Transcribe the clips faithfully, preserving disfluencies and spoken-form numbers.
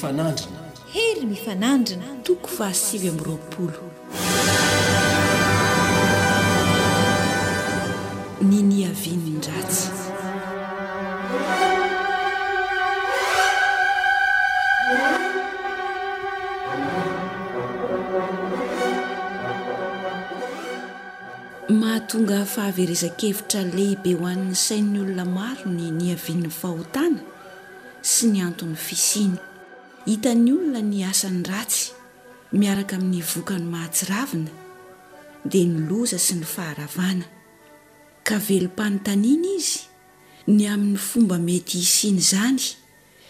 mifanandrina. Hery mifanandrina. Toko fahasivy amby roapolo. Ny niavian'ny ratsy. Mahatonga fahaverezan-kevitra lehibe ho an'ny sain'ny olona maro ny niavian'ny fahotana sy ny anton'ny fisiany. Hitan'ny olona ny asany ratsy miaraka amin'ny vokany mahatsiravina, dia ny loza sy ny faharavana. Ka velom-panontaniana izy ny amin'ny fomba mety hisian'izany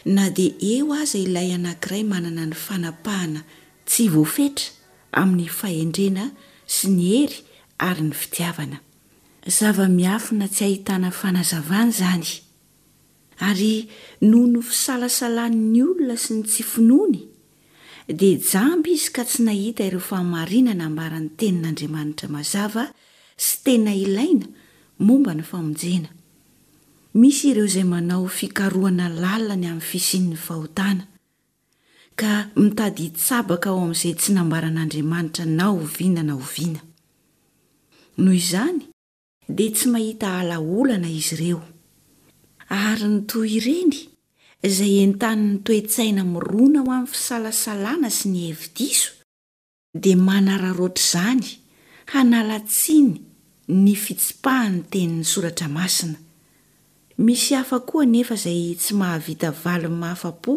na dia eo aza ilay anankiray manana ny fanapahana tsy voafetra amin'ny fahendrena sy ny hery ary ny fitiavana. Zava-miafina tsy ahitana fanazavana izany. Ary noho ny fisalasalan'ny olona sy ny tsy finoany, dia jamba izy ka tsy nahita ireo fahamarinana ambaran'ny Tenin'Andriamanitra mazava sy tena ilaina momba ny famonjena. Misy ireo izay manao fikarohana lalina ny amin'ny fisian'ny fahotana, ka mitady hitsabaka ao amin'izay tsy nambaran'Andriamanitra na oviana na oviana. Noho izany, dia tsy mahita ala olana izy ireo. Ary ny toy ireny, izay entanin'ny toe-tsaina mirona ho amin'ny fisalasalana sy ny hevi-diso, dia manararaotra izany hanala tsiny ny fitsipahan'ny tenin'ny Soratra Masina. Misy hafa koa anefa izay tsy mahavita valiny mahafa-po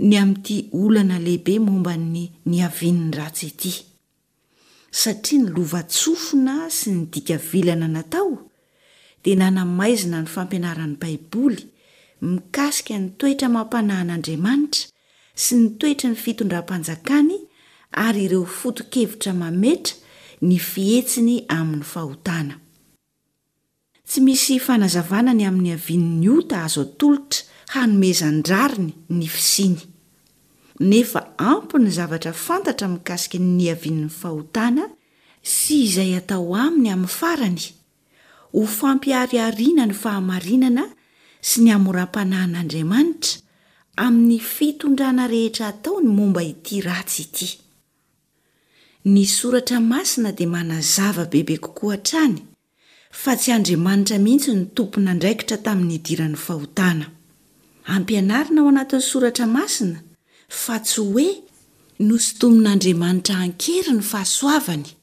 ny amin'ity olana lehibe momba ny niavian'ny ratsy ity. Satria ny lovantsofina sy ny dika vilana natao dia nanamaizina ny fampianaran'ny Baiboly mikasika ny toetra amam-panahin'Andriamanitra sy ny toetry ny fitondram-panjakany ary ireo foto-kevitra mametra ny fihetsiny amin'ny fahotana. Tsy misy fanazavana ny amin'ny havian'ny ota azo atolotra hanomezan-drariny ny fisiany. Nefa ampy ny zavatra fantatra mikasika ny niavian'ny fahotana sy izay atao aminy amin'ny farany, ho fampiharihariana ny fahamarinana sy ny hamoram-panahin'Andriamanitra amin'ny fitondrana rehetra ataony momba ity ratsy ity. Ny Soratra Masina dia manazava bebe kokoa hatrany fa tsy Andriamanitra mihitsy no tompon'andraikitra tamin'ny nidiran'ny fahotana. Ampianarina ao anatin'ny Soratra Masina fa tsy hoe nosintomin'Andriamanitra an-kery ny fahasoavany,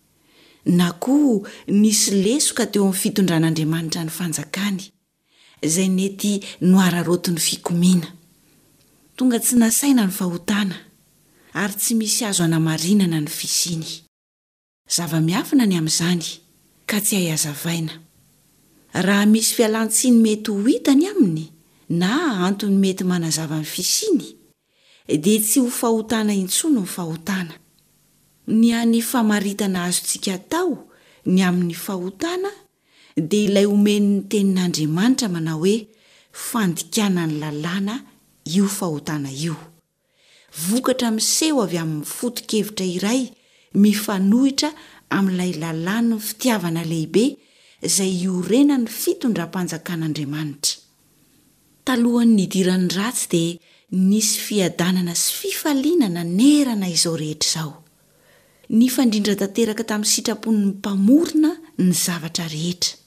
na koa nisy lesoka teo amin'ny fitondran'Andriamanitra ny fanjakany, izay nety nohararaotin'ny fikomiana. Tonga tsy nasaina ny fahotana, ary tsy misy azo anamarinana ny fisiany. Zava-miafina ny amin'izany, ka tsy hay hazavaina. Raha misy fialan-tsiny mety ho hita ny aminy, na antony mety manazava ny fisiany, dia tsy ho fahotana intsony ny fahotana. Ny hany famaritana azontsika atao ny amin'ny fahotana dia ilay omen'ny Tenin'Andriamanitra manao hoe fandikana ny lalàna io fahotana io. Vokatra miseho avy amin'ny foto-kevitra iray mifanohitra amin'ilay lalàn'ny fitiavana lehibe izay iorenan'ny fitondram-panjakan'Andriamanitra. Talohan'ny nidiran'ny ratsy dia nisy fiadanana sy fifaliana nanerana izao rehetra izao. Nifandrindra tanteraka tamin'ny sitrapon'ny Mpamorona ny zavatra rehetra.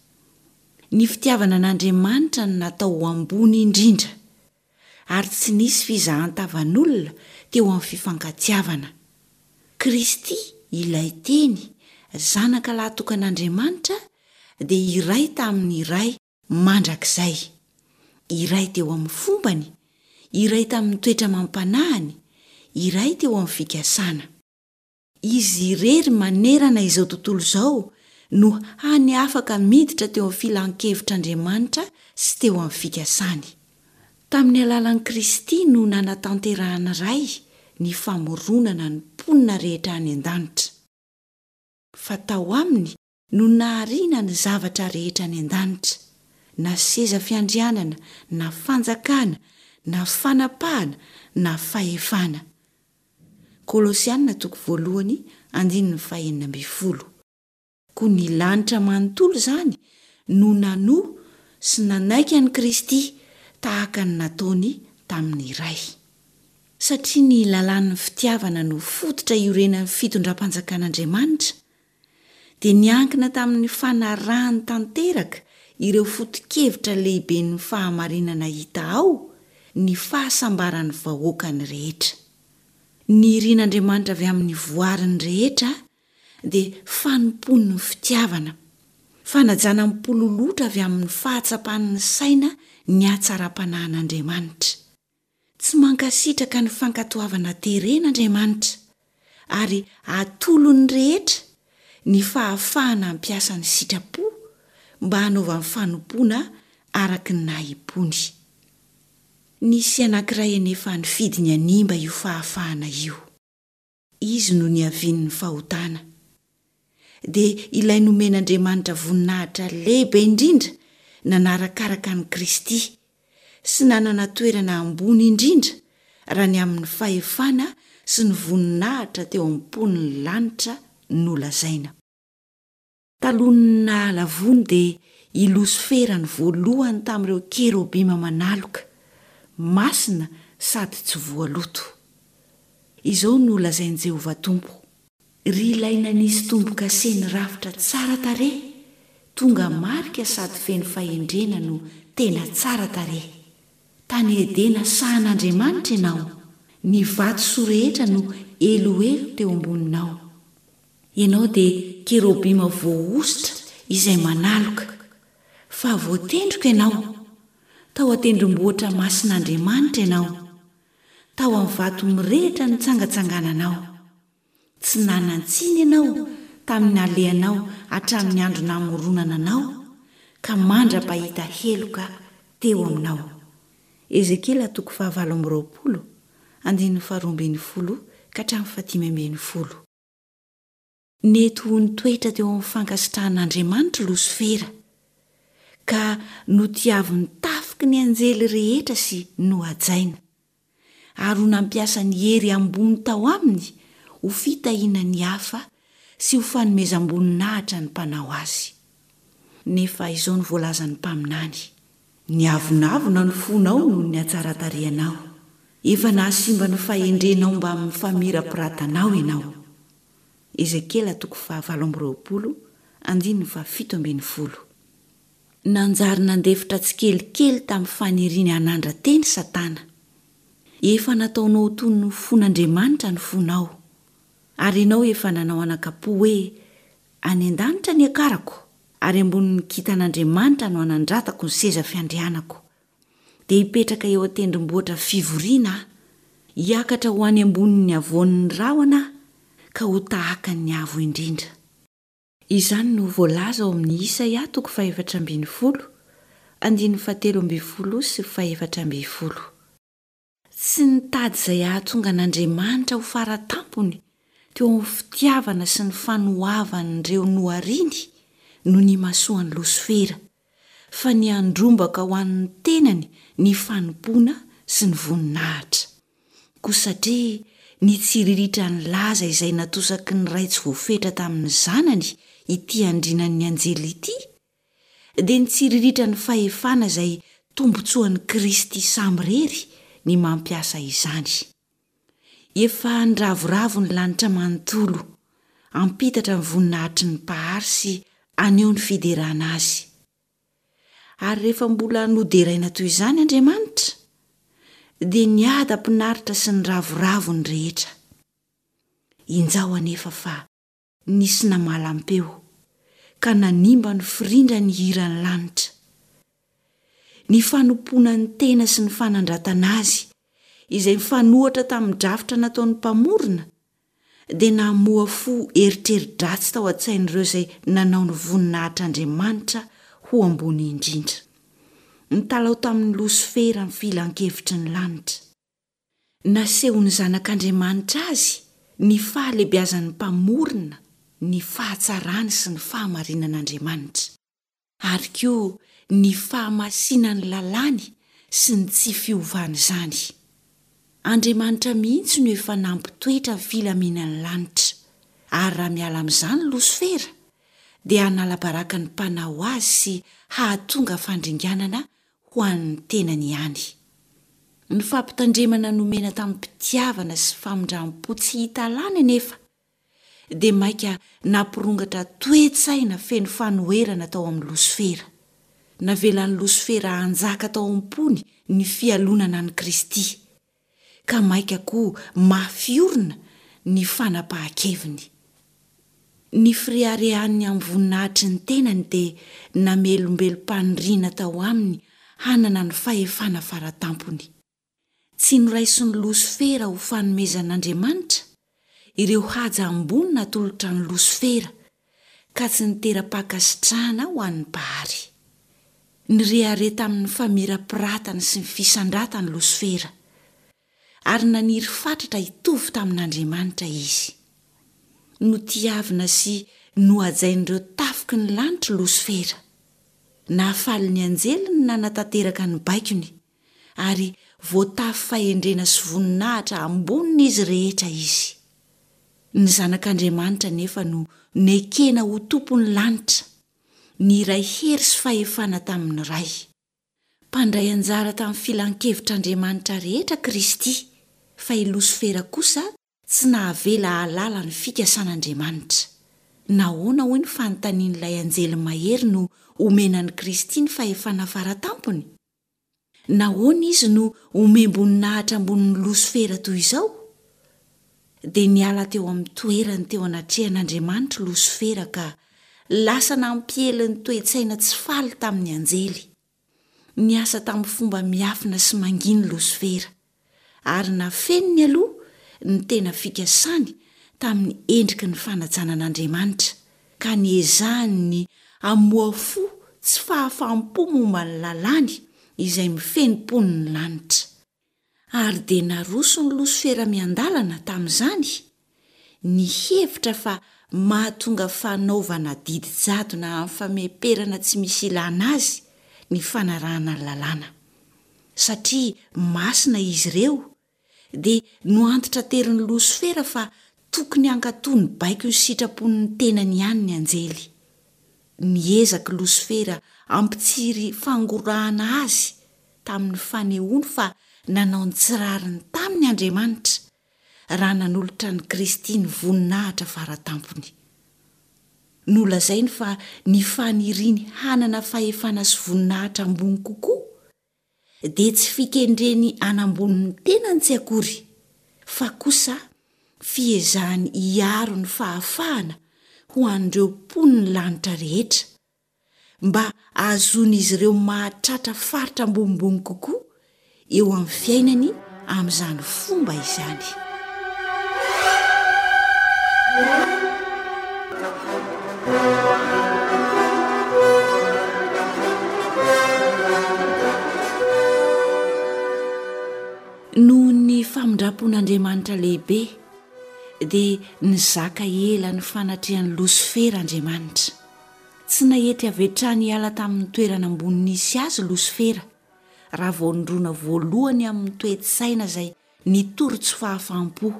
Ny fitiavana an'Andriamanitra no natao ho ambony indrindra. ary tsy nisy fizahan-tavan'olona teo amin'ny fifankatiavana. Kristy, ilay Teny, Zanaka lahatokan'Andriamanitra, dia iray tamin'ny Ray mandrakizay. Iray teo amin'ny fombany, iray tamin'ny toetra amam-panahiny, iray teo amin'ny fikasana. Izy irery manerana izao tontolo izao no hany afaka miditra teo amin'ny filan-kevitr'Andriamanitra sy teo amin'ny fikasany. Tamin'ny alalan'i Kristy no nanatanterahan'ny Ray ny famoronana ny mponina rehetra any an-danitra. Fa tao aminy no nahariana ny zavatra rehetra any an-danitra, na seza fiandrianana, na fanjakana, na fanapahana, na fahefana. Kolosiana toko voalohany andininy fahenina ambin'ny folo. Koa ny lanitra manontolo izany no nanoa sy nanaiky an'i Kristy tahaka ny nataony tamin'ny Ray. Satria ny lalàn'ny fitiavana no fototra iorenan'ny fitondram-panjakan'Andriamanitra, dia niankina tamin'ny fanarahany tanteraka ireo foto-kevitra lehiben'ny fahamarinana hita ao ny fahasambaran'ny vahoakany rehetra. Ny irin'Andriamanitra avy amin'ny voariny rehetra dia fanompoan'ny fitiavana, fanajana mipololotra avy amin'ny fahatsapan'ny saina ny hatsaram-panahin'Andriamanitra. Tsy mankasitraka ny fankatoavana terena Andriamanitra, ary atolony rehetra ny fahafahana hampiasa ny sitrapo mba hanaovany fanompoana araka ny nahim-pony. Nisy anankiray anefa nifidy ny hanimba io fahafahana io. Izy no niavian'ny fahotana. Dia ilay nomen'Andriamanitra voninahitra lehibe indrindra nanarakaraka an'i Kristy, sy nanana toerana ambony indrindra raha ny amin'ny fahefana sy ny voninahitra teo am-pon'ny lanitra nolazaina. Talohan'ny nahalavoany dia i Losifera no voalohany tamin'ireo kerobima manaloka, masina sady tsy voaloto. Izao no lazain'i Jehovah Tompo, Ry ilay nanisy tombo-kase ny rafitra tsara tarehy, tonga marika sady feno fahendrena no tena tsara tarehy. Tany Edena sahan'Andriamanitra ianao, ny vatosoa rehetra no eloelo teo amboninao. Ianao dia kerobima voahosotra izay manaloka. Fa voatendriko ianao. Tao an-tendrombohitra masin'Andriamanitra ianao. Tao amin'ny vato mirehitra nitsangatsangananao. Tsy nanan-tsiny ianao tamin'ny nalehanao hatramin'ny andro namoronana anao ka mandra-pahita heloka teo aminao. Ezekiela toko fahavalo amby roapolo, andininy faharoa ambin'ny folo ka hatramin'ny fahadimy ambin'ny folo. Nety ho nitoetra teo amin'ny fankasitrahan'Andriamanitra Losifera, ka notiavin'ny tafiky ny anjely rehetra sy nohajaina, ary ho nampiasa ny hery ambony tao aminy ho fitahiana ny hafa sy ho fanomezam-boninahitra ny Mpanao azy. Nefa izao no voalazan'ny mpaminany, Niavonavona ny fonao noho ny hatsaran-tarehinao, efa nahasimba ny fahendrenao mbamin'ny famirapiratanao ianao. Ezekiela toko fahavalo amby roapolo, andininy fahafito ambin'ny folo. Nanjary nandefitra tsikelikely tamin'ny faniriany hanandra-tena i Satana. Efa nataonao ho toy ny fon'Andriamanitra ny fonao, ary ianao efa nanao anakam-po hoe, Any an-danitra ny hiakarako, ary ambonin'ny kintan'Andriamanitra no hanandratako ny seza fiandrianako. Dia hipetraka eo an-tendrombohitra fivoriana aho, hiakatra ho any ambonin'ny havoan'ny rahona aho, ka ho tahaka ny Avo Indrindra. Izany no voalaza ao amin'ny Isaia toko fahefatra ambin'ny folo, andininy fahatelo ambin'ny folo sy fahefatra ambin'ny folo. Tsy nitady izay hahatonga an'Andriamanitra ho fara tampony teo amin'ny fitiavana sy ny fanoavan'ireo nohariny no nimasoan'i Losifera, fa ny handrombaka ho an'ny tenany ny fanompoana sy ny voninahitra. Koa satria nitsiriritra ny laza izay natosaky ny Ray tsy voafetra tamin'ny Zanany ity andrinan'ny anjely ity, dia nitsiriritra ny fahefana izay tombontsoan'i Kristy samirery ny mampiasa izany. Efa niravoravo ny lanitra manontolo, hampitatra ny voninahitry ny Mpahary sy haneho ny fiderana Azy. Ary rehefa mbola noderaina toy izany Andriamanitra, dia niadam-pinaritra sy niravoravo ny rehetra. Injao anefa fa nisy namalam-peo, ka nanimba ny firindran'ny hiran'ny lanitra. Ny fanompoana ny tena sy ny fanandratana azy, izay mifanohatra tamin'ny drafitra nataon'ny Mpamorona, dia namoha fo eritreri-dratsy tao an-tsain'ireo izay nanao ny voninahitr'Andriamanitra ho ambony indrindra. Nitalaho tamin'ny Losifera ny filankevitry ny lanitra. Nasehon'ny Zanak'Andriamanitra azy ny fahalebiazan'ny Mpamorona, ny fahatsarany sy ny fahamarinan'Andriamanitra, ary koa ny fahamasinan'ny lalàny sy ny tsy fiovan'izany. Andriamanitra mihitsy no efa nampitoetra ny filaminan'ny lanitra, ary raha miala amin'izany Losifera, dia hanala baraka ny Mpanao azy sy hahatonga fandringanana ho an'ny tenany ihany. Ny fampitandremana nomena tamim-pitiavana sy famindram-po tsy hita lany anefa dia mainka nampirongatra toe-tsaina feno fanoherana tao amin'i Losifera. Navelan'i Losifera hanjaka tao am-pony ny fialonana an'i Kristy, ka mainka koa mafy orina ny fanapahan-keviny. Ny fireharehany amin'ny voninahitry ny tenany dia namelombelom-paniriana tao aminy hanana ny fahefana faratampony. Tsy noraisin'i Losifera ho fanomezan'Andriamanitra ireo haja ambony natolotra an'i Losifera, ka tsy nitera-pankasitrahana ho an'ny Mpahary. Nirehareha tamin'ny famirapiratany sy ny fisandratany Losifera, ary naniry fatratra hitovy tamin'Andriamanitra izy. Notiavina sy nohajain'ireo tafiky ny lanitra Losifera. Nahafaly ny anjely ny nanatanteraka ny baikony, ary voatafy fahendrena sy voninahitra ambonin'izy rehetra izy. Ny Zanak'Andriamanitra anefa no nekena ho Tompon'ny lanitra, niray hery sy fahefana tamin'ny Ray. Mpandray anjara tamin'ny filan-kevitr'Andriamanitra rehetra Kristy, fa i Losifera kosa tsy nahavela hahalala ny fikasan'Andriamanitra. Nahoana hoy ny fanontanian'ilay anjely mahery no omena an'i Kristy ny fahefana faratampony? Nahoana izy no omem-boninahitra ambonin'i Losifera toy izao? Dia niala teo amin'ny toerany teo anatrehan'Andriamanitra Losifera ka lasa nampiely ny toe-tsaina tsy faly tamin'ny anjely. Niasa tamin'ny fomba miafina sy manginy Losifera, ary nafeniny aloha ny tena fikasany tamin'ny endriky ny fanajana an'Andriamanitra, ka niezahany ny hamoha fo tsy fahafaham-po momba ny lalàny izay mifehy ny mponin'ny lanitra. Ary dia naroson'i Losifera miandalana tamin'izany ny hevitra fa mahatonga fanaovana didy jadona amin'ny fameperana tsy misy ilàna azy ny fanarahana ny lalàna. Satria masina izy ireo, dia noantitraterin'i Losifera fa tokony hankatò ny baikon'ny sitrapon'ny tenany ihany ny anjely. Niezaka Losifera hampitsiry fangorahana azy tamin'ny fanehoany fa nanao ny tsy rariny taminy Andriamanitra, raha nanolotra an'i Kristy ny voninahitra faratampony. Nolazainy fa ny faniriany hanana fahefana sy voninahitra ambony kokoa dia tsy fikendreny hanambony ny tenany tsy akory, fa kosa fiezahany hiaro ny fahafahana ho an'ireo mponin'ny lanitra rehetra, mba hahazoan'izy ireo mahatratra faritra ambonimbony kokoa eo amin'ny fiainany amin'izany fomba izany. Noho ny famindram-pon'Andriamanitra lehibe dia nizaka ela ny fanatrehan'i Losifera Andriamanitra. Tsy nahety avy hatrany hiala tamin'ny toerana ambony nisy azy Losifera, raha vao nirona voalohany amin'ny toe-tsaina izay nitory tsy fahafaham-po,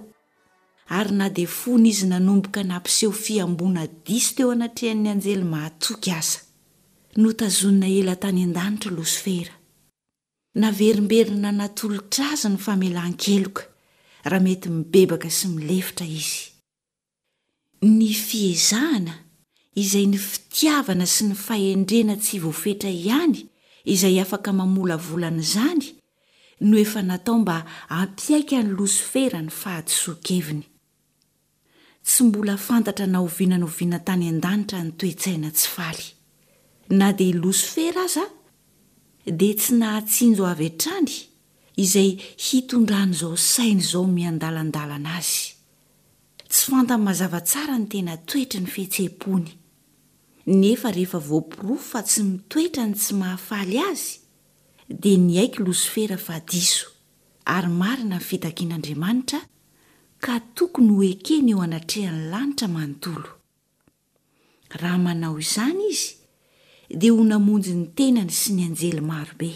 ary na dia fony izy nanomboka nampiseho fihamboana diso teo anatrehan'ny anjely mahatoky aza. Notazonina ela tany an-danitra Losifera. Naverimberina natolotra azy ny famelan-keloka, raha mety mibebaka sy milefitra izy. Ny fiezahana, izay ny fitiavana sy ny fahendrena tsy voafetra ihany izay afaka mamolavola an'izany, no efa natao mba hampiaiky an'i Losifera ny fahadisoan-keviny. Tsy mbola fantatra na oviana na oviana tany an-danitra ny toe-tsaina tsy faly. Na dia i Losifera aza dia tsy nahatsinjo avy hatrany izay hitondran'izao saina izao miandalandalana azy. Tsy fantany mazava tsara ny tena toetry ny fihetseham-pony. Nefa rehefa voaporofo fa tsy mitoetra ny tsy mahafaly azy, dia niaiky Losifera fa diso, ary marina ny fitakian'Andriamanitra, ka tokony ho ekeny eo anatrehan'ny lanitra manontolo. Raha manao izany izy, dia ho namonjy ny tenany sy ny anjely maro be.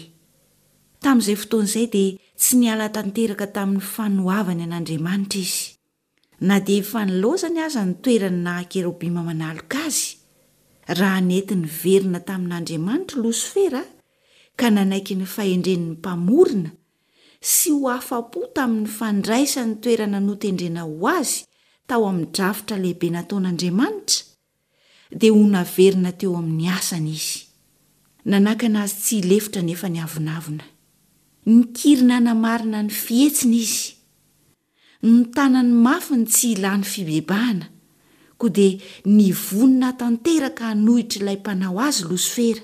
Tamin'izay fotoana izay dia tsy niala tanteraka tamin'ny fanoavany an'Andriamanitra izy. Na dia efa nilaozany aza ny toerany naha-kerobima manaloka azy, raha nety niverina tamin'Andriamanitra Losifera ka nanaiky ny fahendren'ny Mpamorona sy ho afa-po tamin'ny fandraisany toerana notendrena ho azy tao amin'ny drafitra lehibe nataon'Andriamanitra, dia ho naverina teo amin'ny asany izy. Nanakana azy tsy hilefitra anefa ny avonavona. Nikiry nanamarina ny fihetsiny izy. Notanany mafy ny tsy hilany fibebahana, koa dia nivonona tanteraka hanohitra ilay mpanao azy Losifera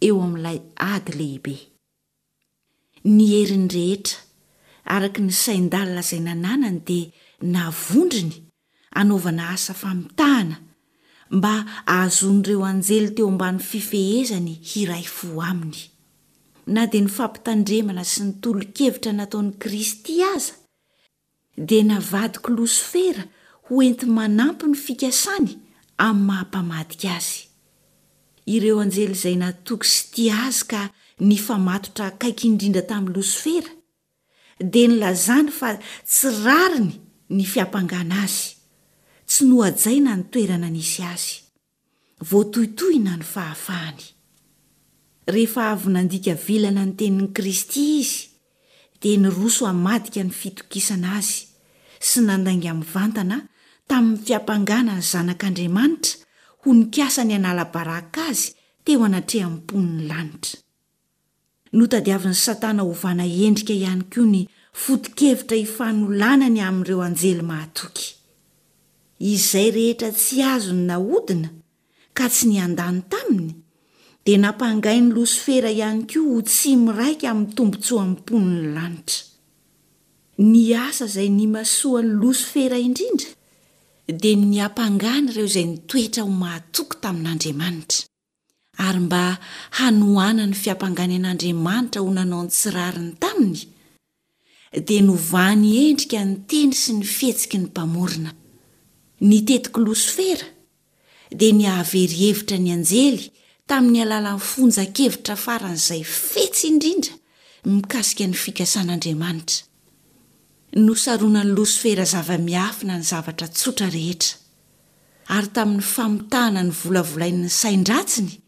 eo amin'ilay ady lehibe. Ny heriny rehetra, araka ny sain-dalina izay nananany dia navondrony hanaovana asa famitahana mba hahazoan'ireo anjely teo ambany fifehezany hiray fo aminy. Na dia ny fampitandremana sy ny tolo-kevitra nataon'i Kristy aza dia navadik'i Losifera ho enti-manampy ny fikasany amin'ny maha-mpamadika azy. Ireo anjely izay natoky sy tia azy ka nifamatotra akaiky indrindra tamin'i Losifera dia nilazany fa tsy rariny ny fiampangana azy, tsy nohajaina ny toerana nisy azy. Voatohitohina ny fahafahany. Rehefa avy nandika vilana ny tenin'i Kristy izy, dia niroso hamadika ny fitokisana azy sy nandainga mivantana tamin'ny fiampangana ny Zanak'Andriamanitra ho nikasa ny hanala baraka azy teo anatrehan'ny mponin'ny lanitra. Notadiavin'i Satana hovana endrika ihany koa ny foto-kevitra ifanolanany amin'ireo anjely mahatoky. Izay rehetra tsy azony nahodina ka tsy niandany taminy dia nampangain'i Losifera ihany koa ho tsy miraika amin'ny tombontsoan'ny mponin'ny lanitra. Ny asa izay nimasoan'i Losifera indrindra dia ny niampangany ireo izay nitoetra ho mahatoky tamin'Andriamanitra. Ary mba hanohana ny fiampangany an'Andriamanitra ho nanao ny tsy rariny taminy, dia novany endrika ny teny sy ny fihetsiky ny Mpamorona. Ny tetik'i Losifera dia ny hahavery hevitra ny anjely tamin'ny alalan'ny fonjan-kevitra faran'izay fetsy indrindra mikasika ny fikasan'Andriamanitra. Nosaronan'i Losifera zava-miafina ny zavatra tsotra rehetra. Ary tamin'ny famitahana ny volavolain'ny sain-dratsiny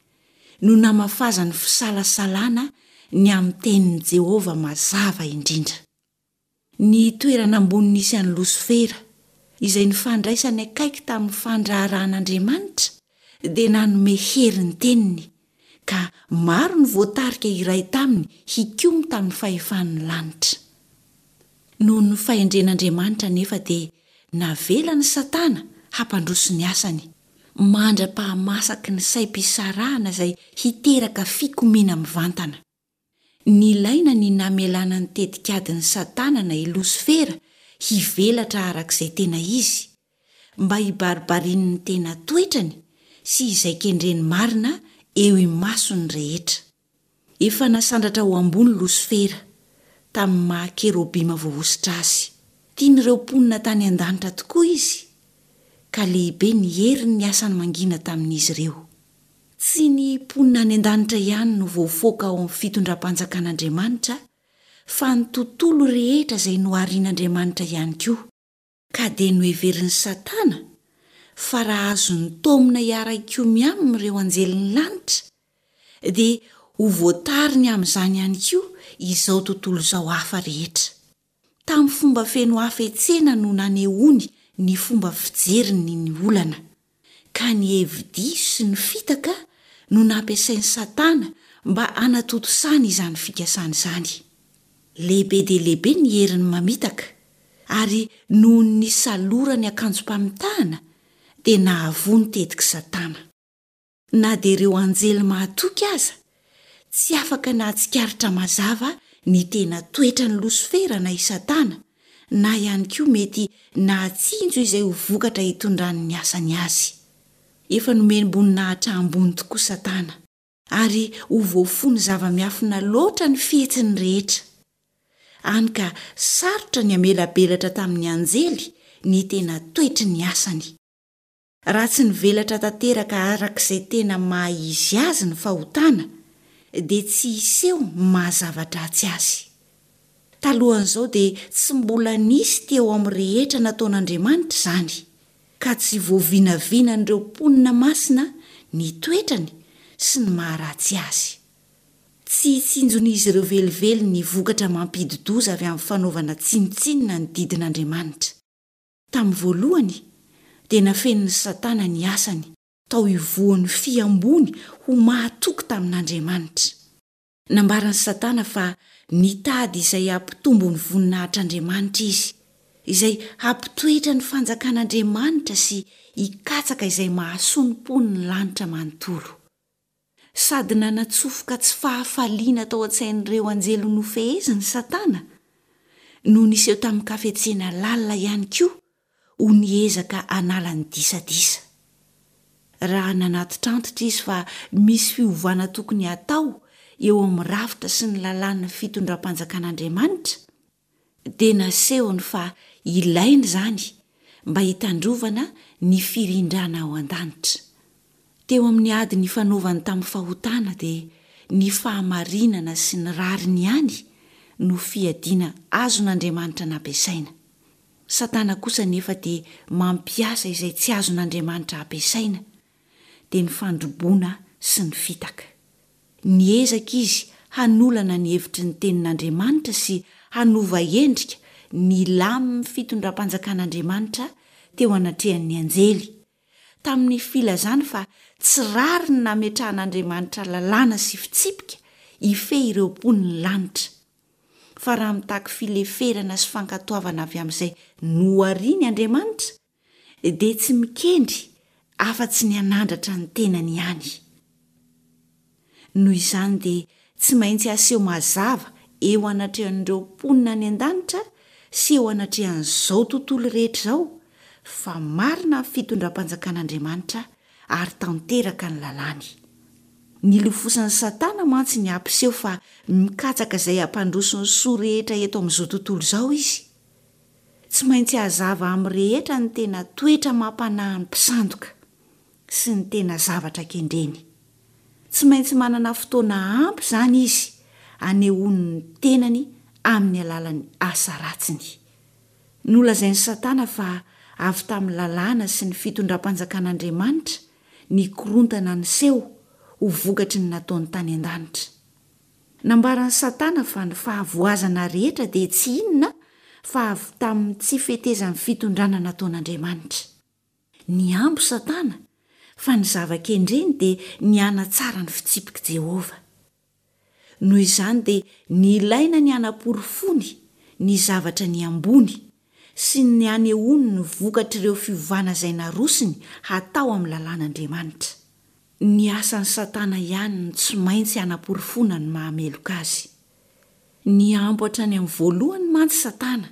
no namafazany fisalasalana ny amin'ny tenin'i Jehovah mazava indrindra. Ny toerana ambony nisy an'i Losifera, izay nifandraisany akaiky tamin'ny fandraharahan'Andriamanitra, dia nanome hery ny teniny, ka maro no voatarika hiray taminy hikomy tamin'ny fahefan'ny lanitra. Noho ny fahendren'Andriamanitra anefa dia navelan'i Satana hampandroso ny asany, mandra-pahamasaky ny saim-pisarahana izay hiteraka fikomiana mivantana. Nilaina ny namelana ny tetikadin'i Satana na i Losifera hivelatra araka izay tena izy, mba hibaribarian'ny tena toetrany sy izay kendreny marina eo imason'ny rehetra. Efa nasandratra ho ambony Losifera, tamin'ny maha kerobima voahosotra azy. Tian'ireo mponina tany an-danitra tokoa izy, ka lehibe ny herin'ny asany mangina tamin'izy ireo. Tsy ny mponina any an-danitra ihany no voafoaka ao amin'ny fitondram-panjakan'Andriamanitra, fa ny tontolo rehetra izay noharian'Andriamanitra ihany koa. Ka dia noheverin'i Satana fa raha azony taomina hiara-hikomy aminy ireo anjelin'ny lanitra, dia ho voatariny amin'izany ihany koa izao tontolo izao hafa rehetra. Tamin'ny fomba feno hafetsena no nanehoany ny fomba fijeriny ny olana, ka ny hevi-diso sy ny fitaka no nampiasain'i Satana mba hanatontosany izany fikasana izany. Lehibe dia lehibe ny heriny mamitaka, ary noho ny nisalorany akanjom-pamitahana dia nahavoa ny tetik'i Satana. Na dia ireo anjely mahatoky aza tsy afaka nahatsikaritra mazava ny tena toetran'i Losifera na i Satana, na ihany koa mety nahatsinjo izay ho vokatra hitondran'ny asany azy. Efa nomem-boninahitra ambony tokoa Satana, ary ho voafono zava-miafina loatra ny fihetsiny rehetra. Hany ka sarotra ny hamelabelatra tamin'ny anjely ny tena toetry ny asany. Raha tsy nivelatra tanteraka araka izay tena maha izy azy ny fahotana, dia tsy hiseho ny maha zava-dratsy azy. Talohan'izao dia tsy mbola nisy teo amin'ny rehetra nataon'Andriamanitra izany, ka tsy voavinavinan'ireo mponina masina ny toetrany sy ny maha ratsy azy. Tsy tsinjon'izy ireo velively ny vokatra mampidi-doza avy amin'ny fanaovana tsinontsinona ny didin'Andriamanitra. Tamin'ny voalohany, dia nafenin'i Satana ny asany tao ivohon'ny fihamboany ho mahatoky tamin'Andriamanitra. Nambaran'i Satana fa nitady izay hampitombo ny voninahitr'Andriamanitra izy, izay hampitoetra ny fanjakan'Andriamanitra sy hikatsaka izay mahasoa ny mponin'ny lanitra manontolo. Sady nanatsofoka tsy fahafaliana tao an-tsain'ireo anjely nofeheziny Satana, no niseho tamin-kafetsena lalina ihany koa ho niezaka hanala ny disadisa. Raha nanatitrantitra izy fa misy fiovana tokony hatao eo amin'ny rafitra sy ny lalàn'ny fitondram-panjakan'Andriamanitra, dia nasehony fa ilaina izany mba hitandrovana ny firindrana ao an-danitra. Teo amin'ny ady nifanaovany tamin'ny fahotana dia ny fahamarinana sy ny rariny ihany no fiadiana azon'Andriamanitra nampiasaina. Satana kosa anefa dia mampiasa izay tsy azon'Andriamanitra ampiasaina, dia ny fandroboana sy ny fitaka. Niezaka izy hanolana ny hevitry ny Tenin'Andriamanitra sy hanova endrika ny lamin'ny fitondram-panjakan'Andriamanitra teo anatrehan'ny anjely, tamin'ny filazany fa tsy rariny ny nametrahan'Andriamanitra lalàna sy fitsipika hifehy ireo mponin'ny lanitra, fa raha mitaky fileferana sy fankatoavana avy amin'izay nohariny Andriamanitra, dia tsy mikendry afa-tsy ny hanandratra ny tenany ihany. Noho izany dia tsy maintsy aseho mazava eo anatrehan'ireo mponina any an-danitra sy eo anatrehan'izao tontolo rehetra izao fa marina ny fitondram-panjakan'Andriamanitra ary tanteraka ny lalàny. Nilofosan'i Satana mantsy ny hampiseho fa mikatsaka izay hampandroso ny soa rehetra eto amin'izao tontolo izao izy. Tsy maintsy hazava amin'ny rehetra ny tena toetra amam-panahin'ny mpisandoka sy ny tena zavatra kendreny. Tsy maintsy manana fotoana ampy izany izy hanehoany ny tenany amin'ny alalan'ny asa ratsiny. Nolazain'i Satana fa avy tamin'ny lalàna sy ny fitondram-panjakan'Andriamanitra ny korontana niseho ho vokatry ny nataony tany an-danitra. Nambaran'i Satana fa ny fahavoazana rehetra dia tsy inona fa avy tamin'ny tsy fetezan'ny fitondrana nataon'Andriamanitra. Nihambo Satana fa ny zava-kendreny dia ny hanatsara ny fitsipik'i Jehovah. Noho izany dia nilaina ny hanaporofoany ny zavatra nihamboany sy ny hanehoany ny vokatr'ireo fiovana izay narosony hatao amin'ny lalàn'Andriamanitra. Ny asan'i Satana ihany no tsy maintsy hanaporofoana ny maha-meloka azy. Nihambo hatrany amin'ny voalohany mantsy Satana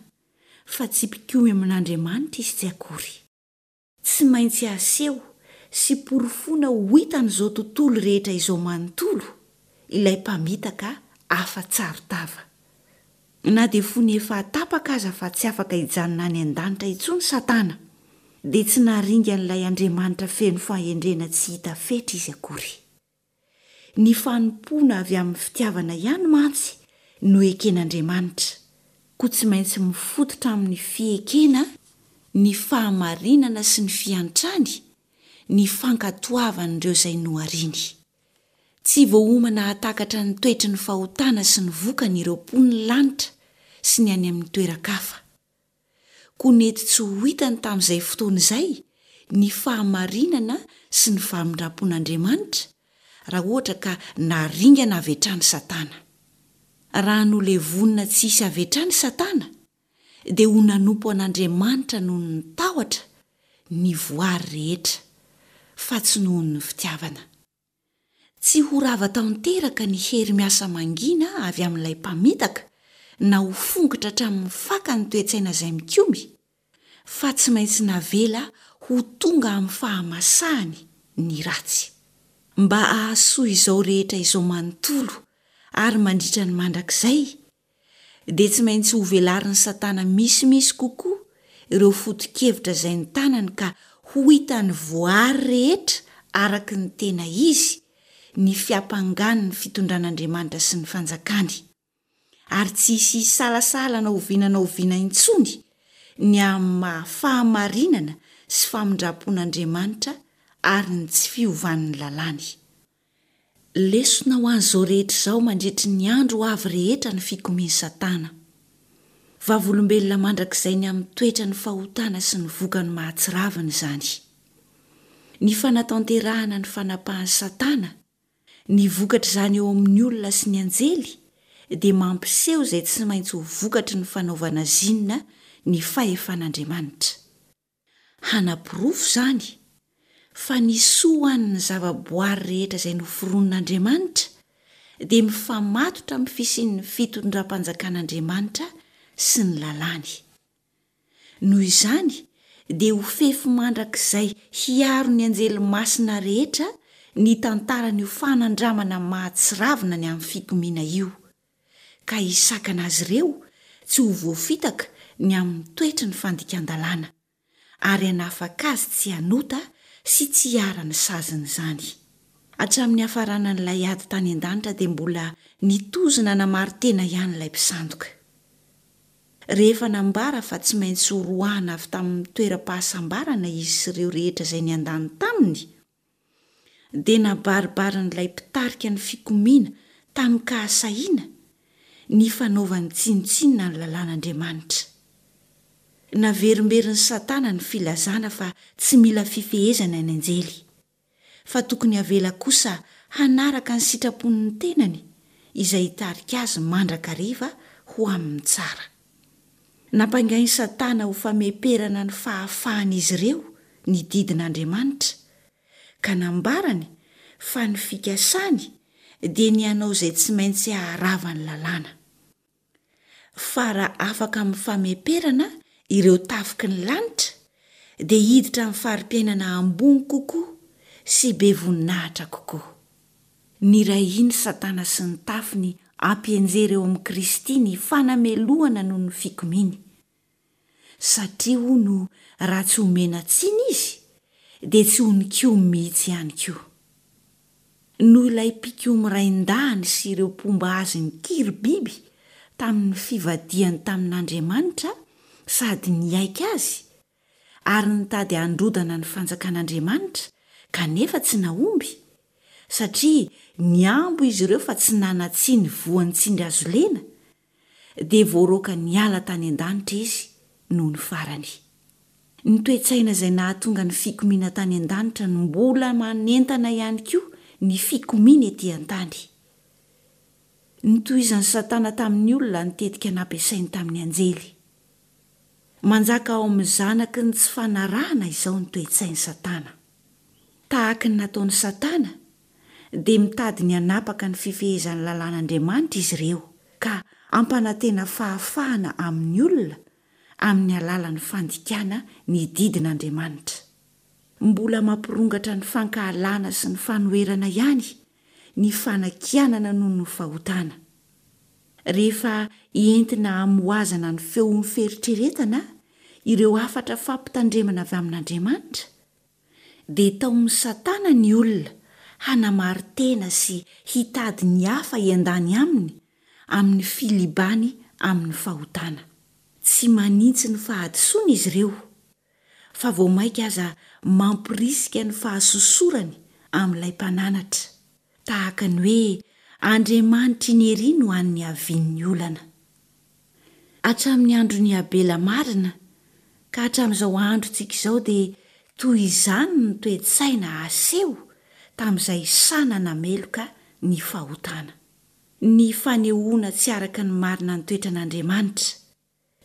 fa tsy mpikomy amin'Andriamanitra izy tsy akory. Tsy maintsy aseho sy porofoina ho hitan'izao tontolo rehetra izao manontolo ilay mpamitaka afa-tsaron-tava. Na dia fony efa tapaka aza fa tsy afaka hijanona any an-danitra intsony Satana, dia tsy naringan'ilay Andriamanitra feno fahendrena tsy hita fetra izy akory. Ny fanompoana avy amin'ny fitiavana ihany mantsy no eken'Andriamanitra, koa tsy maintsy mifototra amin'ny fiekena ny fahamarinana sy ny fiantrany ny fankatoavan'ireo izay nohariny. Tsy voaomana hahatakatra ny toetry ny fahotana sy ny vokany ireo mponin'ny lanitra sy ny any amin'ny toeran-kafa. Koa nety tsy ho hitany tamin'izay fotoana izay ny fahamarinana sy ny famindram-pon'Andriamanitra raha ohatra ka naringana avy hatrany Satana. Raha nolevonina tsy hisy avy hatrany Satana, dia ho nanompo an'Andriamanitra noho ny tahotra ny voary rehetra, fa tsy noho ny fitiavana. Tsy ho rava tanteraka ny hery miasa mangina avy amin'ilay mpamitaka na ho fongotra hatramin'ny faka ny toe-tsaina izay mikomy, fa tsy maintsy navela ho tonga amin'ny fahamasahany ny ratsy. Mba hahasoa izao rehetra izao manontolo ary mandritra ny mandrakizay, dia tsy maintsy hovelarin'i Satana misimisy kokoa ireo foto-kevitra izay notanany ka ho hitan'ny voary rehetra araka ny tena izy ny fiampangany ny fitondran'Andriamanitra sy ny fanjakany, ary tsy hisy hisalasala na oviana na oviana intsony ny amin'ny maha fahamarinana sy famindram-pon'Andriamanitra ary ny tsy fiovan'ny lalàny. Lesona ho an'izao rehetra izao mandritry ny andro ho avy rehetra ny fikomian'i Satana. Vavolombelona mandrakizay ny amin'ny toetran'ny fahotana sy ny vokany mahatsiravina izany. Ny fanatanterahana ny fanapahan'i Satana, ny vokatr'izany eo amin'ny olona sy ny anjely dia mampiseho izay tsy maintsy ho vokatry ny fanaovana zinona ny fahefan'Andriamanitra. Hanaporofo izany fa ny soa ho an'ny zavaboary rehetra izay noforonin'Andriamanitra dia mifamatotra amin'ny fisian'ny fitondram-panjakan'Andriamanitra sy ny lalàny. Noho izany dia ho fefy mandrakizay hiaro ny anjely masina rehetra ny tantaran'io fanandramana mahatsiravina ny amin'ny fikomiana io, ka hisakana azy ireo tsy ho voafitaka ny amin'ny toetry ny fandikan-dalàna, ary hanafaka azy tsy hanota sy tsy hiharan'ny sazin'izany. Hatramin'ny niafaranan'ilay ady tany an-danitra dia mbola nitozo nanamari-tena ihany ilay mpisandoka. Rehefa nambara fa tsy maintsy horoahana avy tamin'ny toeram-pahasambarana izy sy ireo rehetra izay niandany taminy, dia nabaribarin'ilay mpitarika ny fikomiana tamin-kahasahiana ny fanaovany tsinontsinona ny lalàn'Andriamanitra. Naverimberin'i Satana ny filazana fa tsy mila fifehezana ny anjely, fa tokony havela kosa hanaraka ny sitrapon'ny tenany izay hitarika azy mandrakariva ho amin'ny tsara. Nampangain'i Satana ho fameperana ny fahafahan'izy ireo ny didin'Andriamanitra, ka nambarany fa ny fikasany dia ny hanao izay tsy maintsy haharava ny lalàna. Fa raha afaka amin'ny fameperana ireo tafiky ny lanitra, dia hiditra amin'ny fari-piainana ambony kokoa sy be voninahitra kokoa. Nirahin'i Satana sy ny tafiny hampianjera eo amin'i Kristy ny fanamelohana noho ny fikomiany. Satria hono raha tsy omena tsiny izy, dia tsy ho nikomy mihitsy ihany koa. Noho ilay mpikomy rain-dahiny sy ireo mpomba azy nikiry biby tamin'ny fivadihany tamin'Andriamanitra sady niaiky azy, ary nitady handrodana ny fanjakan'Andriamanitra kanefa tsy nahomby, satria nihambo izy ireo fa tsy nanan-tsiny voan'ny tsindry hazolena, dia voaroaka niala tany an-danitra izy nony farany. Ny toe-tsaina izay nahatonga ny fikomiana tany an-danitra no mbola manentana ihany koa ny fikomiana ety an-tany. Notohizan'i Satana tamin'ny olona ny tetika nampiasainy tamin'ny anjely. Manjaka ao amin'ny zanaky ny tsy fanarahana izao ny toe-tsain'i Satana. Tahaka ny nataon'i Satana, dia mitady ny hanapaka ny fifehezan'ny lalàn'Andriamanitra izy ireo, ka hampanantena fahafahana amin'ny olona amin'ny alalan'ny fandikana ny didin'Andriamanitra. Mbola mampirongatra ny fankahalana sy ny fanoherana ihany ny fanakianana noho ny fahotana. Rehefa entina hamohazana ny feon'ny fieritreretana ireo hafatra fampitandremana avy amin'Andriamanitra, dia taomin'i Satana ny olona hanamari-tena sy hitady ny hafa hiandany aminy amin'ny filibany amin'ny fahotana. Tsy manintsy ny fahadisoany izy ireo, fa vao mainka aza mampirisika ny fahasosorany amin'ilay Mpananatra, tahaka ny hoe Andriamanitra iny ery no any niavian'ny olana. Hatramin'ny andron'i Abela marina ka hatramin'izao androntsika izao dia toy izany ny toe-tsaina aseho tamin'izay sahy nanameloka ny fahotana. Ny fanehoana tsy araka ny marina ny toetran'Andriamanitra,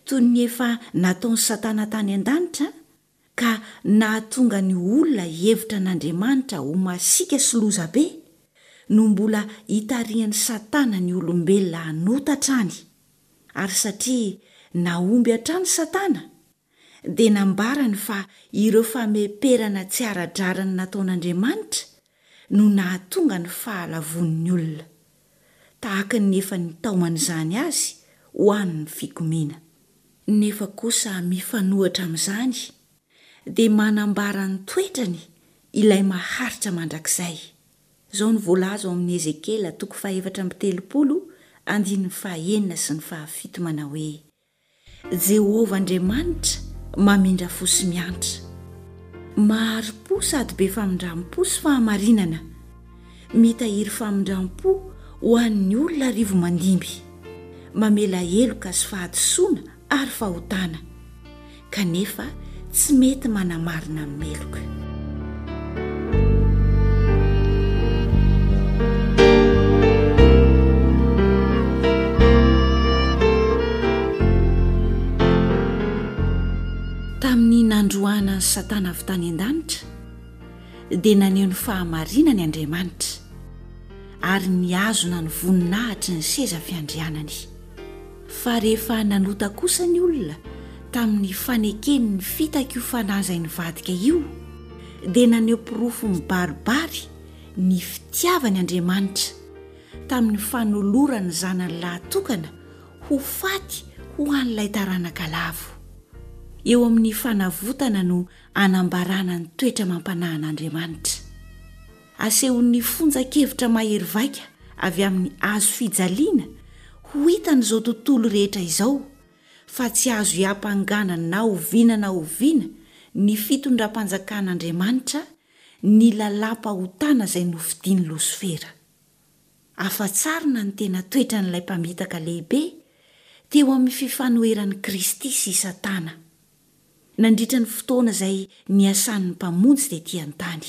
toy ny efa nataon'i Satana tany an-danitra ka nahatonga ny olona hihevitra an'Andriamanitra ho masiaka sy lozabe, no mbola itarihan'i Satana ny olombelona hanota hatrany. Ary satria nahomby hatrany Satana, dia nambarany fa ireo fameperana tsy ara-drariny nataon'Andriamanitra no nahatonga ny fahalavoan'ny olona, tahaka ny efa nitaoman'izany azy ho an'ny fikomiana. Nefa kosa mifanohitra amin'izany, dia manambara ny toetrany ilay maharitra mandrakizay. Izao no voalaza ao amin'ny Ezekiela toko fahefatra amby telopolo andininy fahenina sy ny fahafito manao hoe, Jehovah Andriamanitra mamindra fo sy miantra, mahari-po sady be famindram-po sy fahamarinana, Mitahiry famindram-po ho an'ny olona arivo mandimby, mamela heloka sy fahadisoana ary fahotana, kanefa tsy mety manamarina ny meloka. Tamin'ny nandroahana an'i Satana avy tany an-danitra, dia naneho ny fahamarinany Andriamanitra, ary nihazona ny voninahitry ny seza fiandrianany. Fa rehefa nanota kosa ny olona tamin'ny fanekeny ny fitak'io fanahy izay nivadika io, dia naneho porofo mibaribary ny fitiavany Andriamanitra tamin'ny fanolorany ny Zanany lahatokana ho faty ho an'ilay taranaka lavo. Eo amin'ny fanavotana no anambarana ny toetra mampanahin'Andriamanitra. Asehon'ny fonjan-kevitra mahery vaika avy amin'ny hazo fijaliana ho hitan'izao tontolo rehetra izao fa tsy azo iampangana na oviana na oviana ny fitondram-panjakan'Andriamanitra ny lalàm-pahotana izay nofidin'i Losifera. Afa-tsarina ny tena toetran'ilay mpamitaka lehibe teo amin'ny fifanoheran'i Kristy sy Satana. Nandritra ny fotoana izay niasan'ny Mpamonjy tetỳ an-tany.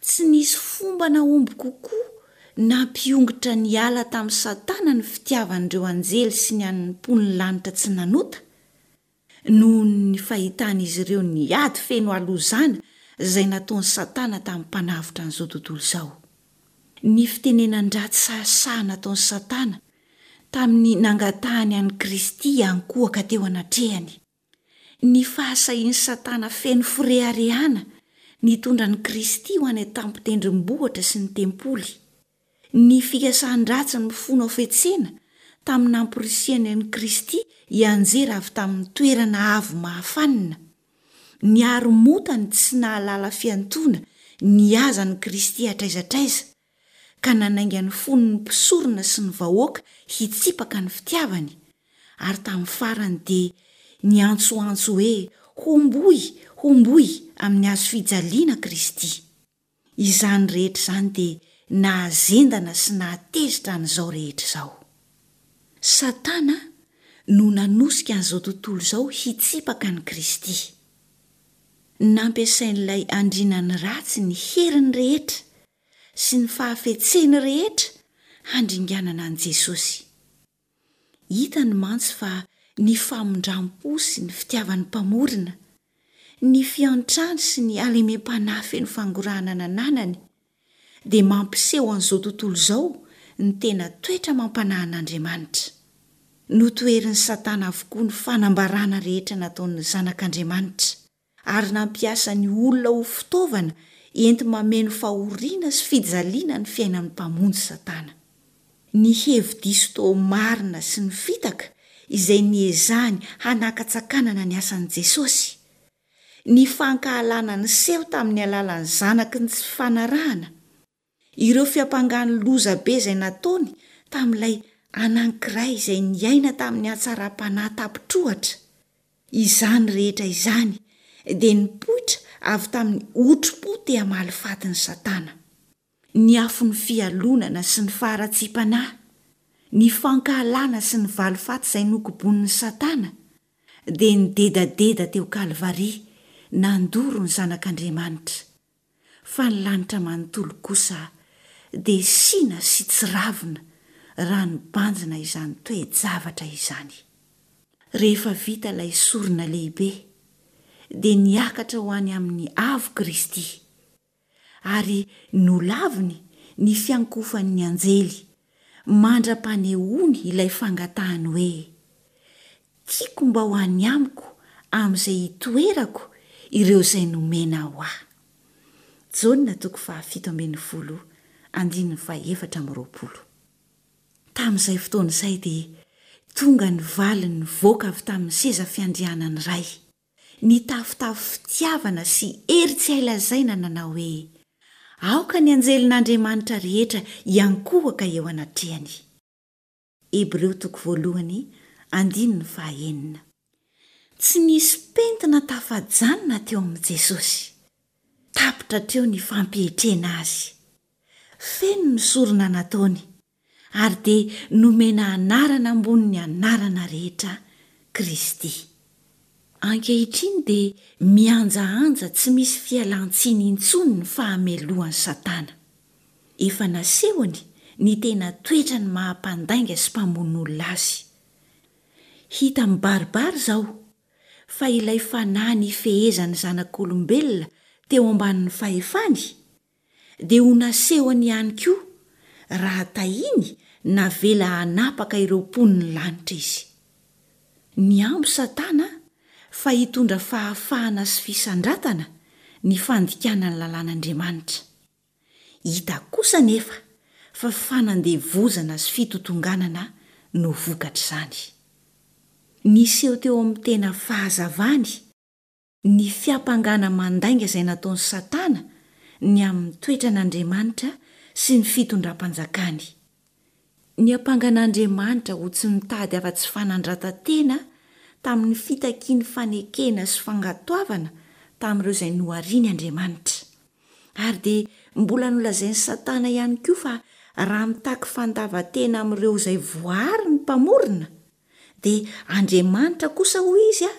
Tsy nisy fomba nahomby kokoa nampiongotra niala tamin'i Satana ny fitiavan'ireo anjely sy ny an'ny mponin'ny lanitra tsy nanota, noho ny fahitan'izy ireo ny ady feno halozana izay nataon'i Satana tamin'ny Mpanavotra an'izao tontolo izao. Ny fitenenan-dratsy sahisahy nataon'i Satana tamin'ny nangatahany an'i Kristy hiankohoka teo anatrehany. Ny fahasahian'i Satana feno fireharehana nitondra an'i Kristy ho any an-tampon-tendrombohitra sy ny tempoly. Ny fikasan-dratsy mifono hafetsena tamin'ny namporisihany an'i Kristy hianjera avy tamin'ny toerana avo mahafanina. Ny haromotany tsy nahalala fiantoana nihaza an'i Kristy hatraiza hatraiza, ka nanainga ny fon'ny mpisorona sy ny vahoaka hitsipaka ny fitiavany, ary tamin'ny farany dia niantsoantso hoe, Homboy! Homboy amin'ny hazo fijaliana Kristy! Izany rehetra izany dia nahazendana sy nahatezitra an'izao rehetra izao. Satana no nanosika an'izao tontolo izao hitsipaka an'i Kristy. Nampiasain'ilay andrianan'ny ratsy ny heriny rehetra sy ny fahafetseny rehetra handringanana an'i Jesosy. Hitany mantsy fa ny famindram-po sy ny fitiavan'ny Mpamorona, ny fiantrany sy ny halemem-panahy feno fangorahana nananany, dia mampiseho an'izao tontolo izao ny tena toetra mampanahin'Andriamanitra. Notoherin'i Satana avokoa ny fanambarana rehetra nataon'ny Zanak'Andriamanitra. ary nampiasa ny olona ho fitaovana enti-mameno fahoriana sy fijaliana ny fiainan'ny Mpamonjy Satana. Ny hevi-diso toa marina sy ny fitaka izay niezahany hanakatsakanana ny asan'i Jesosy, ny fankahalana niseho tamin'ny alalan'ny zanaky ny tsy fanarahana, Ireo fiampangany loza be izay nataony tamin'ilay anankiray izay niaina tamin'ny hatsaram-panahy tapitr'ohatra, izany rehetra izany dia nipoitra avy tamin'ny otri-po te hamaly faty ny Satana. Ny afon'ny fialonana sy ny faharatsiam-panahy, ny fankahalana sy ny valifaty izay nokobonin'i Satana dia nidedadeda teo Kalvary nandoro ny Zanak'Andriamanitra. fa ny lanitra manontolo kosa dia sina sy tsiravina raha nibanjina izany toe-javatra izany. Rehefa vita ilay sorona lehibe, dia niakatra ho any amin'ny avo Kristy, ary nolaviny ny fiankofan'ny anjely mandra-panehoany ilay fangatahany hoe, Tiako mba ho any amiko amin'izay hitoerako ireo izay nomena ho ahy. Jaona toko fahafito ambin'ny folo andininy fahefatra amby roapolo. Tamin'izay fotoana izay dia tonga ny valiny nivoaka avy tamin'ny seza fiandrianan'ny Ray, nitafotafo fitiavana sy hery tsy hay lazaina nanao hoe, Aoka ny anjelin'Andriamanitra rehetra hiankohoka eo anatrehany. Hebreo toko voalohany andininy fahaenina. Tsy nisy pentina tafajanona teo amin'i Jesosy. Tapitra hatreo ny fampietrena azy. Feno ny sorona nataony, ary dia nomena anarana ambonin'ny anarana rehetra Kristy. Ankehitriny dia mihanjahanja tsy misy fialan-tsiny intsony ny fahamelohan'i Satana. Efa nasehony ny tena toetrany maha mpandainga sy mpamono olona azy. Hita mibaribary izao fa ilay fanahy nifehezan'ny zanak'olombelona teo ambanin'ny fahefany dia ho nasehony ihany koa raha tahiny navela hanapaka ireo mponin'ny lanitra izy. Nihambo Satana fa hitondra fahafahana sy fisandratana ny fandikana ny lalàn'Andriamanitra. Hita kosa anefa fa fanandevozana sy fitotonganana no vokatr'izany. Niseho teo amin'ny tena fahazavany ny fiampangana mandainga izay nataon'i Satana ny amin'ny toetran'Andriamanitra sy ny fitondram-panjakany. Niampanga an'Andriamanitra ho tsy mitady afa-tsy fanandratan-tena tamin'ny fitakiany fanekena sy fankatoavana tamin'ireo izay nohariny Andriamanitra. Ary dia mbola nolazain'i Satana ihany koa fa raha mitaky fandavan-tena amin'ireo izay voary ny Mpamorona, dia Andriamanitra kosa hoy izy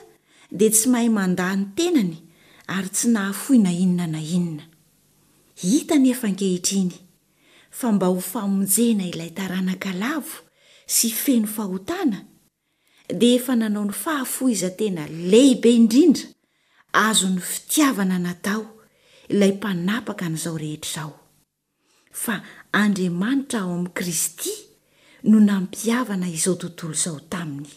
dia tsy mahay mandà ny tenany ary tsy nahafoy na inona na inona. Hita anefa ankehitriny fa mba ho famonjena ilay taranaka lavo sy feno fahotana, dia efa nanao ny fahafoizan-tena lehibe indrindra azon'ny fitiavana natao ilay Mpanapaka an'izao rehetra izao. Fa Andriamanitra ao amin'i Kristy no nampihavana izao tontolo izao taminy.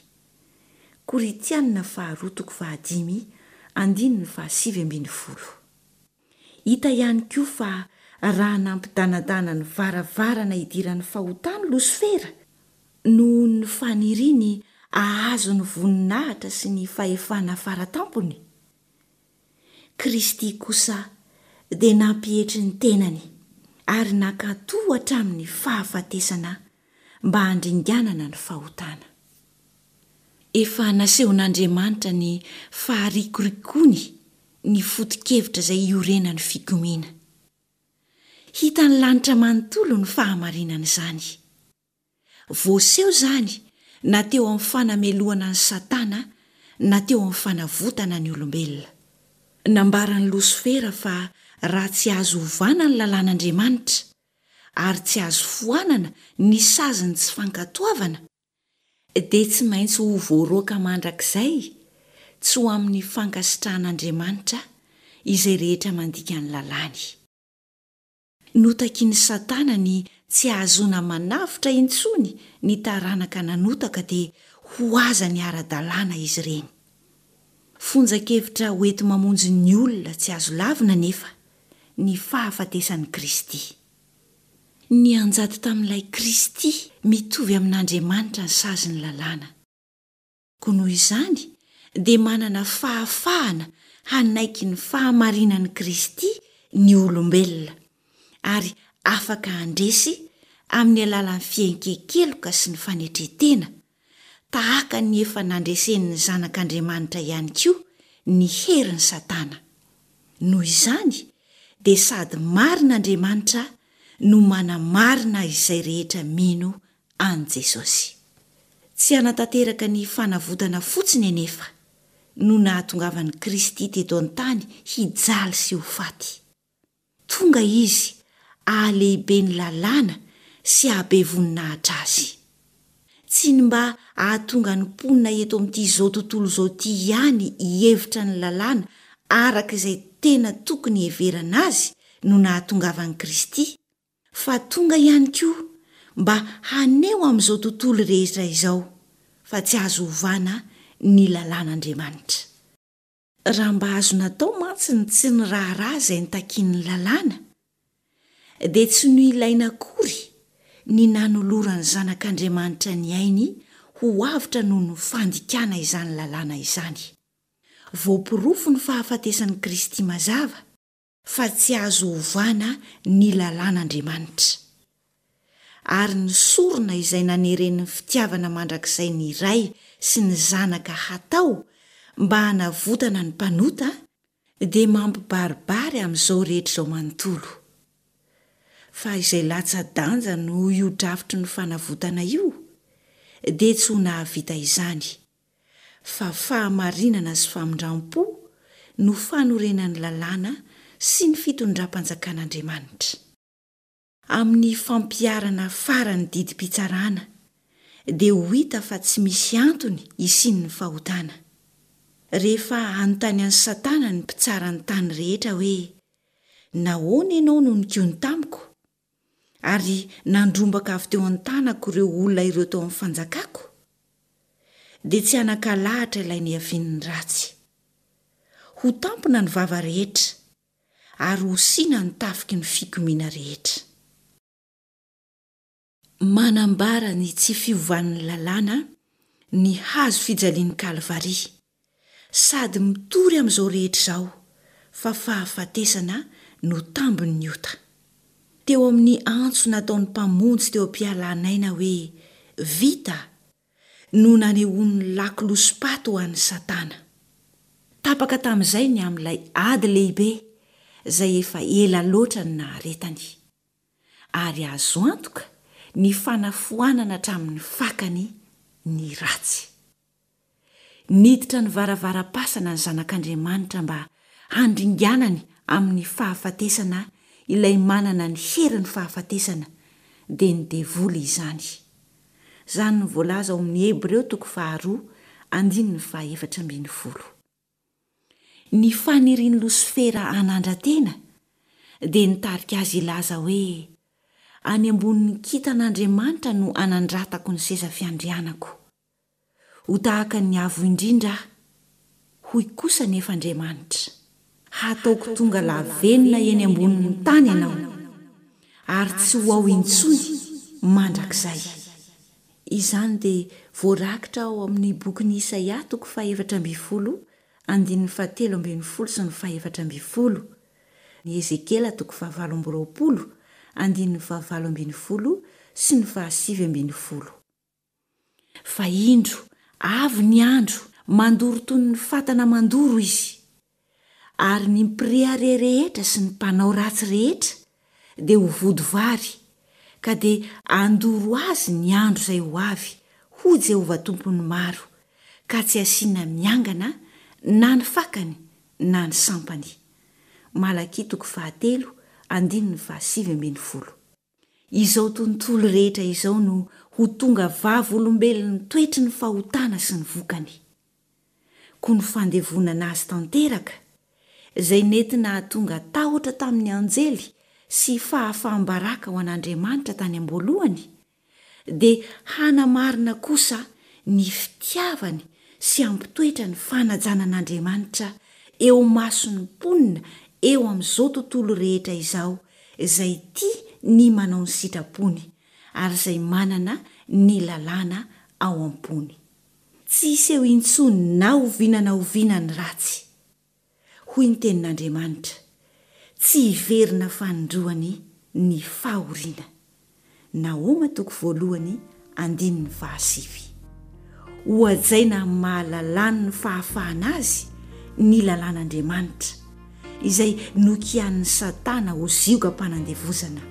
Korintiana faharoa toko fahadimy andininy fahasivy ambin'ny folo. Hita ihany koa fa raha nampidanadana ny varavarana hidiran'ny fahotany Losifera, noho ny faniriany hahazo ny voninahitra sy ny fahefana faratampony, Kristy kosa dia nampietry ny tenany ary nankatò hatramin'ny fahafatesana mba handringanana ny fahotana. Efa nasehon'Andriamanitra ny faharikorikoany ny foto-kevitra izay iorenan'ny fikomiana. Hitan'ny lanitra manontolo ny fahamarinan'izany. Voaseho izany na teo amin'ny fanamelohana an'i Satana na teo amin'ny fanavotana ny olombelona. Nambaran'i Losifera fa raha tsy azo ovana ny lalàn'Andriamanitra, ary tsy azo foanana ny sazin'ny tsy fankatoavana, dia tsy maintsy ho voaroaka mandrakizay tsy ho amin'ny fankasitrahan'Andriamanitra izay rehetra mandika ny lalàny. Notakin'i Satana ny tsy hahazoana manavotra intsony ny taranaka nanota ka dia ho azany ara-dalàna izy ireny. Fonjan-kevitra hoenti-mamonjy ny olona tsy azo lavina anefa ny fahafatesan'i Kristy. Nianjady tamin'ilay Kristy mitovy amin'Andriamanitra ny sazin'ny lalàna. Koa noho izany dia manana fahafahana hanaiky ny fahamarinan'i Kristy ny olombelona, ary afaka handresy amin'ny alalan'ny fienken-keloka sy ny fanetren-tena, tahaka ny efa nandresen'ny Zanak'Andriamanitra ihany koa ny herin'i Satana. Noho izany dia sady marina Andriamanitra no manamarina izay rehetra mino an'i Jesosy. Tsy hanatanteraka ny fanavotana fotsiny anefa no nahatongavan'i Kristy teto an-tany hijaly sy ho faty. Tonga Izy hahalehibe ny lalàna sy hahabe voninahitra azy. Tsy ny mba hahatonga ny mponina eto amin'ity izao tontolo izao ity ihany hihevitra ny lalàna araka izay tena tokony hiheverana azy no nahatongavan'i Kristy, fa tonga ihany koa mba haneho amin'izao tontolo rehetra izao fa tsy azo ovana ny lalàn'Andriamanitra. Raha mba azo natao mantsy ny tsy niraharaha izay nitakian'ny lalàna, dia tsy noilaina akory ny nanoloran'ny Zanak'Andriamanitra ny ainy ho avotra noho ny fandikana izany lalàna izany. Voaporofo ny fahafatesan'i Kristy mazava fa tsy azo ovana ny lalàn'Andriamanitra. Ary ny sorona izay naneren'ny fitiavana mandrakizay ny Ray sy ny Zanaka hatao mba hanavotana ny mpanota dia mampibaribary amin'izao rehetra izao manontolo Fa izay latsa-danja noho io drafitry ny fanavotana io dia tsy ho nahavita izany, fa fahamarinana sy famindram-po no fanorenan'ny lalàna sy ny fitondram-panjakan'Andriamanitra. Amin'ny fampiharana farany didim-pitsarana dia ho hita fa tsy misy antony hisian'ny fahotana. Rehefa hanontany an'i Satana ny mpitsara ny tany rehetra hoe, Nahoana ianao no nikomy tamiko, ary nandrombaka avy teo an-tanako ireo olona ireo tao amin'ny fanjakako? Dia tsy hanan-kalahatra ilay niavian'ny ratsy. Ho tampina ny vava rehetra, ary ho sina ny tafiky ny fikomiana rehetra. Manambara ny tsy fiovan'ny lalàna ny hazo fijalian'i Kalvary, sady mitory amin'izao rehetra izao fa fahafatesana no tambin'ny ota. Teo amin'ny antso nataon'ny Mpamonjy teo am-pialan'aina hoe Vita! no nanehoany ny lakolosim-paty ho an'i Satana. Tapaka tamin'izay ny amin'ilay ady lehibe izay efa ela loatra ny naharetany. Ary azo antoka ny fanafoanana hatramin'ny fakany ny ratsy. Niditra ny varavaram-pasana ny Zanak'Andriamanitra mba handringanany amin'ny fahafatesana ilay manana ny herin'ny fahafatesana, dia ny devoly izany. Izany no voalaza ao amin'ny Hebreo toko faharoa andininy fahaefatra ambin'ny folo. Ny fanirian'i Losifera hanandra-tena dia nitarika azy hilaza hoe, Any ambonin'ny kintan'Andriamanitra no hanandratako ny seza fiandrianako. Ho tahaka ny Avo Indrindra aho. Hoy kosa anefa Andriamanitra, Hataoko tonga lavenona eny ambonin'ny tany ianao, ary tsy ho ao intsony mandrakizay. Izany dia voarakitra ao amin'ny bokin'i Isaia toko fahefatra ambin'ny folo andininy fahatelo ambin'ny folo sy ny fahefatra ambin'ny folo, ny Ezekiela toko fahavalo amby roapolo andininy fahavalo ambin'ny folo sy ny fahasivy ambin'ny folo. Fa indro, avy ny andro, mandoro toy ny fatana mandoro izy. Ary ny mpirehareha rehetra sy ny mpanao ratsy rehetra dia ho vody vary, ka dia handoro azy ny andro izay ho avy, hoy Jehovah Tompon'ny maro, ka tsy hasiana miangana na ny fakany na ny sampany. Malakia toko fahatelo andininy fahasivy ambin'ny folo. Izao tontolo rehetra izao no ho tonga vavolombelon'ny toetry ny fahotana sy ny vokany. Koa ny fandevonana azy tanteraka, izay nety nahatonga tahotra tamin'ny anjely sy fahafaham-baraka ho an'Andriamanitra tany am-boalohany, dia hanamarina kosa ny fitiavany sy hampitoetra ny fanajana an'Andriamanitra eo imason'ny mponina eo amin'izao tontolo rehetra izao izay tia ny manao ny sitrapony ary izay manana ny lalàna ao am-pony. Tsy hiseho intsony na oviana na oviana ny ratsy. Hoy ny Tenin'Andriamanitra, Tsy hiverina fanindroany ny fahoriana. Nahoma toko voalohany andininy fahasivy. Hohajaina amin'ny maha lalàn'ny fahafahana azy ny lalàn'Andriamanitra, izay nokianin'i Satana ho ziogam-panandevozana.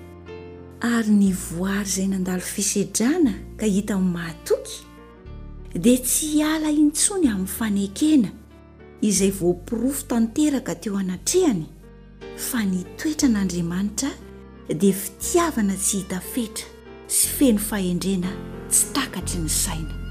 Ary ny voary izay nandalo fisedrana ka hita ho mahatoky dia tsy hiala intsony amin'ny fanekena izay voaporofo tanteraka teo anatrehany fa ny toetran'Andriamanitra dia fitiavana tsy hita fetra sy feno fahendrena tsy takatry ny saina.